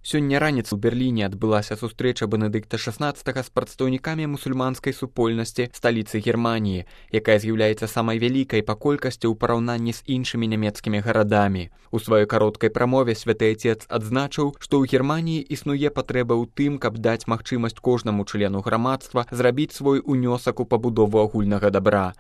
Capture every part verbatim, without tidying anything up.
Сёння раніцай у Берліне адбылася сустрэча Бенедыкта шаснаццатага з прадстаўнікамі мусульманскай супольнасці сталіцы Германіі, якая з'яўляецца самай вялікай па колькасці ў параўнанні з іншымі нямецкімі гарадамі. У сваёй кароткай прамове святы Отец адзначыў, што ў Германіі існуе патрэба ў тым, каб даць магчымасць кожнаму члену грамадства зрабіць свой унёсак у пабудову агульнага дабра.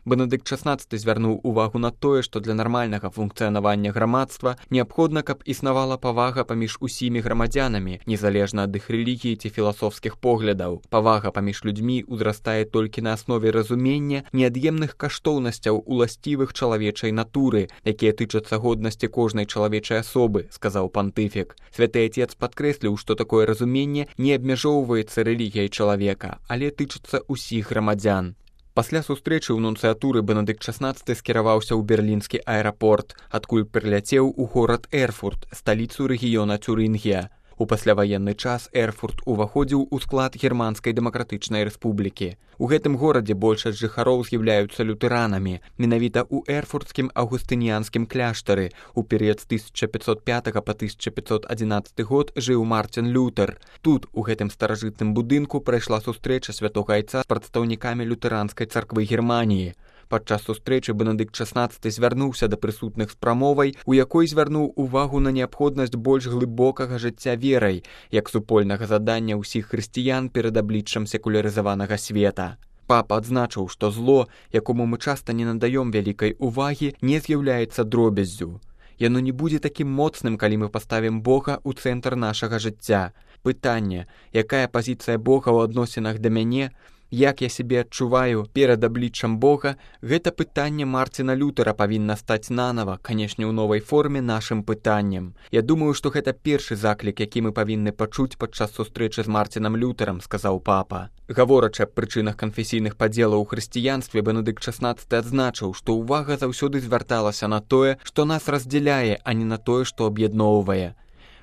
Бенедыкт шаснаццаты звярнуў увагу на тое, што для нармальнага функцыянавання грамадства неабходна, каб існавала павага паміж усімі грамадзянамі, незалежна ад іх рэлігіі ці філасофскіх поглядаў. Павага паміж людзьмі ўзрастае толькі на аснове разумення неад'емных каштоўнасцяў уласцівых чалавечай натуры, якія тычацца годнасці кожнай чалавечай асобы, сказаў пантыфік. Святы Отец падкрэсліў, што такое разуменне не абмяжоўваецца рэлігіяй чалавека, але тычыцца ўсіх грамадзян. Пасля сустрэчы ў нунцыятуры Бенедыкт шаснаццаты скіраваўся ў берлінскі аэрапорт, адкуль прыляцеў у горад Эрфурт, сталіцу рэгіёна Цюрынгія. У пасляваенны час Эрфурт уваходзіў у склад Германскай дэмакратычнай рэспублікі. У гэтым горадзе большасць жыхароў з'яўляюцца лютэранамі. Менавіта ў эрфуртскім аўгустыніянскім кляштары у перыяд з тысяча пятьсот пятага па тысяча пятьсот адзінаццаты год жыў Мартин Лютер. Тут, у гэтым старажытным будынку, прайшла сустрэча святога Айца з прадстаўнікамі лютэранскай царквы Германіі. Падчас сустрэчы Бенедыкт шаснаццаты звярнуўся да прысутных з прамовай, у якой звярнуў увагу на неабходнасць больш глыбокага жыцця верай, як супольнага задання ўсіх хрысціян перад абліччам секулярызаванага света. Папа адзначыў, што зло, якому мы часта не надаём вялікай увагі, не з'яўляецца дробяззю. Яно не будзе такім моцным, калі мы паставім Бога ў цэнтр нашага жыцця. Пытанне, якая пазіцыя Бога ў адносінах да мяне, як я сябе адчуваю перад абліччам Бога, гэта пытанне Мартина Лютера павінна стаць нанава, канешне, ў новай форме нашым пытаннем. Я думаю, што гэта першы заклік, які мы павінны пачуць падчас сустрэчы з Мартинам Лютерам, сказаў папа. Гаворачы аб прычынах канфесійных падзелаў у хрысціянстве, Бенедыкт шаснаццаты адзначыў, што ўвага заўсёды звярталася на тое, што нас раздзяляе, а не на тое, што аб'ядноўвае.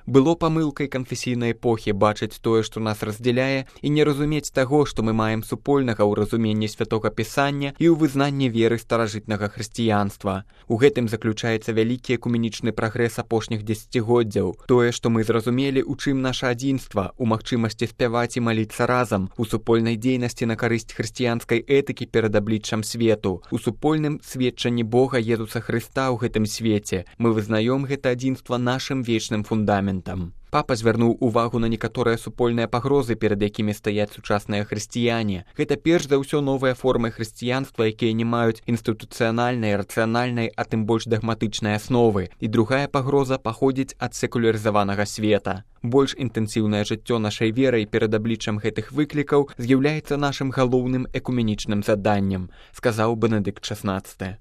Было памылкай канфесійнай эпохі бачыць тое, што нас раздзяляе, і не разумець таго, што мы маем супольнага ў разуменні святога Пісання і ў вызнанні веры старажытнага хрысціянства. У гэтым заключаецца вялікі экуменічны прагрэс апошніх дзесяцігоддзяў. Тое, што мы зразумелі, у чым наша адзінства, у магчымасці спяваць і маліцца разам, у супольнай дзейнасці на карысць хрысціянскай этыкі перад абліччам свету, у супольным сведчанні Бога Езуса Хрыста ў гэтым свеце. Мы вызнаём гэта адзінства нашым вечным фундаментам. Папа звярнуў увагу на некаторыя супольныя пагрозы, перад якімі стаяць сучасныя хрысціяне. Гэта перш за ўсё новыя формы хрысціянства, якія не маюць інстытуцыянальнай, рацыянальнай, а тым больш дагматычнай асновы. І другая пагроза паходзіць ад секулярызаванага света. Больш інтэнсіўнае жыццё нашай верай перад абліччам гэтых выклікаў з'яўляецца нашым галоўным экуменічным заданнем, сказаў Бенедыкт шаснаццаты.